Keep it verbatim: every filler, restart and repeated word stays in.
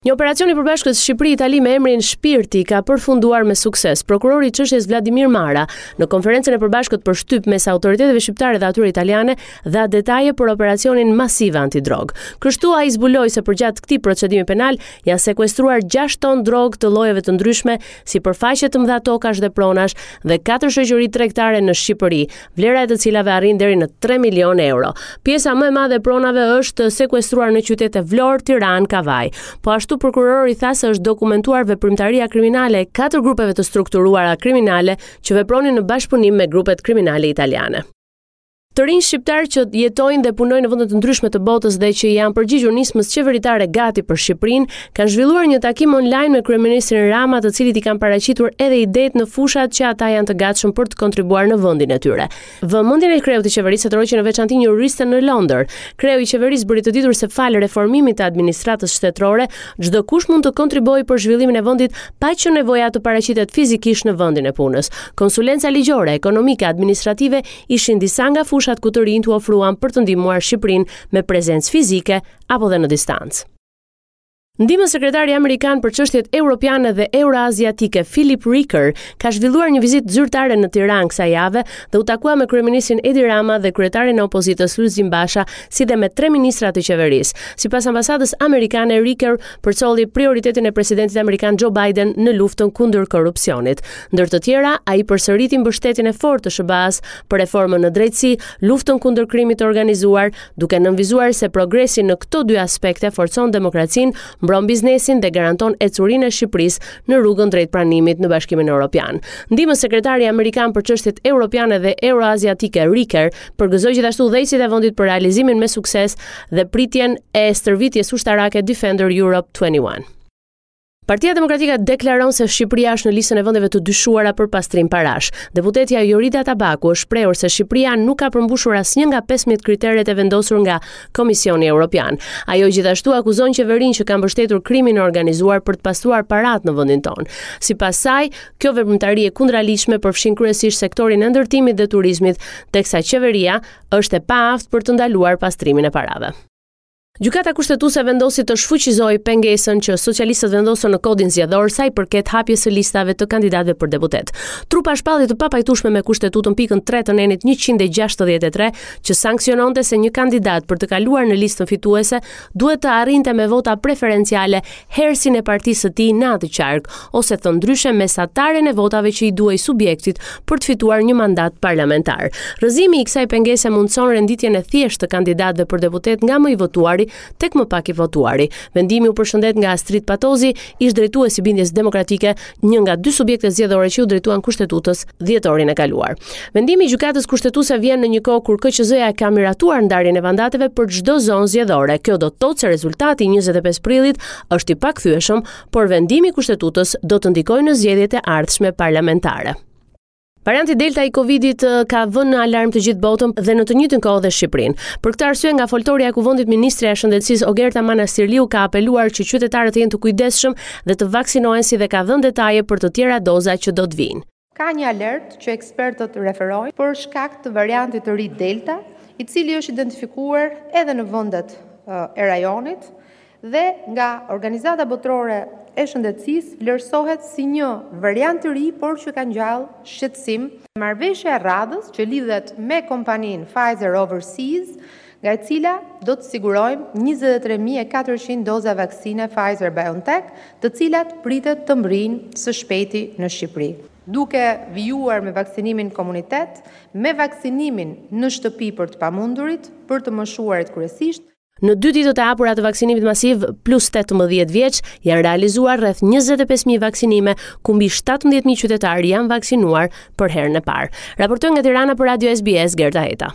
Një operacion i përbashkët Shqipëri-Itali me emrin Shpirti ka përfunduar me sukses. Prokurori i çështjes Vladimir Mara në konferencën e përbashkët për shtyp mes autoriteteve shqiptare dhe atyre italiane dha detaje për operacionin masiv antidrog. Kështu ai zbuloi se përgjatë këtij procedimi penal janë sekuestruar gjashtë ton drogë të llojeve të ndryshme, sipërfaqe të mëdha tokash dhe pronash dhe katër shoqëri tregtare në Shqipëri, vlera e të cilave arrin deri në tre milion euro. Pjesa më e madhe e pronave është sekuestruar në qytete Vlorë, Tiranë, Kavaj. Po ashtu prokurori tha se është dokumentuar veprimtaria kriminale e katër grupeve të strukturuara kriminale që vepronin në bashkëpunim me grupet kriminale italiane. Të rinj shqiptar që jetojnë dhe punojnë në vende të ndryshme të botës dhe që janë përgjigjur nismës qeveritare gati për Shqipërinë, kanë zhvilluar një takim online me kryeministrin Rama, të cilit i kanë paraqitur edhe idetë në fushat që ata janë të gatshëm për të kontribuar në vendin e tyre. Vëmendjen e kreut të qeverisë tërhoqi në veçanti një juriste në Londër. Kreu i qeverisë bëri të ditur se falë reformimit të administratës shtetërore, çdo kush mund të kontribuojë për zhvillimin e vendit pa qenë nevoja të paraqitet fizikisht në vendin e punës. Konsulenca ligjore, ekonomike, administrative ishin disa nga fushat ku të rinjtë u ofruan për të ndihmuar Shqipërinë me prezencë fizike apo dhe në distancë. Ndihmës sekretari amerikan për çështjet europiane dhe euroaziatike Philip Reeker ka zhvilluar një vizitë zyrtare në Tiranë kësaj jave dhe u takua me kryeministrin Edi Rama dhe kryetarin e opozitës Lulzim Basha, si dhe me tre ministra të qeverisë. Sipas ambasadës amerikane, Reeker përcolli prioritetin e presidentit amerikan Joe Biden në luftën kundër korrupsionit. Ndër të tjera, ai përsëriti mbështetjen e fortë të S H B A-s për reformën në drejtësi, luftën kundër krimit të organizuar, duke nënvizuar se progresi në këto dy aspekte forcon demokracinë, mbron biznesin dhe garanton ecurinë e Shqipërisë në rrugën drejt pranimit në Bashkimin Evropian. Ndihmës sekretari amerikan për çështjet europiane dhe euroaziatike Reeker përgëzoi gjithashtu udhëheqësit e vendit për realizimin me sukses dhe pritjen e stërvitjes ushtarake Defender Europe twenty-one. Partia Demokratike deklaron se Shqipëria është në listën e vendeve të dyshuara për pastrim parash. Deputetja Jorida Tabaku është shprehur se Shqipëria nuk ka përmbushur asnjë nga pesëmbëdhjetë kriteret e vendosur nga Komisioni Evropian. Ajo gjithashtu akuzon qeverinë që ka mbështetur krimin e organizuar për të pastruar paratë në vendin tonë. Sipas saj, kjo veprimtari e kundraligjshme përfshin kryesisht sektorin e ndërtimit dhe turizmit, teksa qeveria është e paaftë për të ndaluar pastrimin e parave. Gjykata Kushtetuese vendosi të shfuqizojë pengesën që socialistët vendosën në kodin zgjedhor sa i përket hapjes së listave të kandidatëve për deputet. Trupa shpalli të papajtueshme me Kushtetutën pikën tre të nenit njëqind e gjashtëdhjetë e tre, që sanksiononte se një kandidat për të kaluar në listën fituese duhet të arrinte me vota preferenciale herësin e partisë së tij në atë qark, ose thënë ndryshe mesataren e votave që i duhej subjektit për të fituar një mandat parlamentar. Rrëzimi i kësaj pengese mundson renditjen e thjeshtë të kandidatëve për deputet nga më i votuari tek më pak i votuari. Vendimi u përshëndet nga Astrit Patozi, ish drejtues i Bindjes Demokratike, një nga dy subjektet zgjedhore që u drejtuan Kushtetutës dhjetorin e kaluar. Vendimi i Gjykatës Kushtetuese vjen në një kohë kur K Q Z-ja ka miratuar ndarjen e mandateve për çdo zonë zgjedhore. Kjo do të thotë se rezultati i njëzet e pesë prillit është i pakthyeshëm, por vendimi i Kushtetutës do të ndikojë në zgjedhjet e ardhshme parlamentare. Varianti Delta i Covidit, eh, ka vënë në alarm të gjithë botën dhe në të njëjtën kohë dhe Shqipërinë. Për këtë arsye nga foltoria e Kuvendit, Ministrja e Shëndetësisë Ogerta Manastirliu ka apeluar që qytetarët të jenë të kujdesshëm dhe të vaksinohen, si dhe ka dhënë detaje për të tjera doza që do të vinë. Ka një alert që ekspertët referojnë për shkak të variantit të ri Delta, i cili është identifikuar edhe në vendet, eh, e rajonit dhe nga Organizata Botërore e Shëndetësisë vlerësohet si një variant të ri, por që ka ngjallë shqetësim. Marrëveshja e radhës që lidhet me kompaninë Pfizer Overseas, nga e cila do të sigurojmë njëzet e tre mijë e katërqind doza vaksine Pfizer BioNTech, të cilat pritet të mbrijnë së shpejti në Shqipëri. Duke vijuar me vaksinimin në komunitet, me vaksinimin në shtëpi për të pamundurit, për të moshuarit kryesisht. Në dy ditët e hapura të vaksinimit masiv plus tetëmbëdhjetë vjeç janë realizuar rreth njëzet e pesë mijë vaksinime, ku mbi shtatëmbëdhjetë mijë qytetarë janë vaksinuar për herën e parë. Raportoi nga Tirana për Radio S B S, Gerta Heta.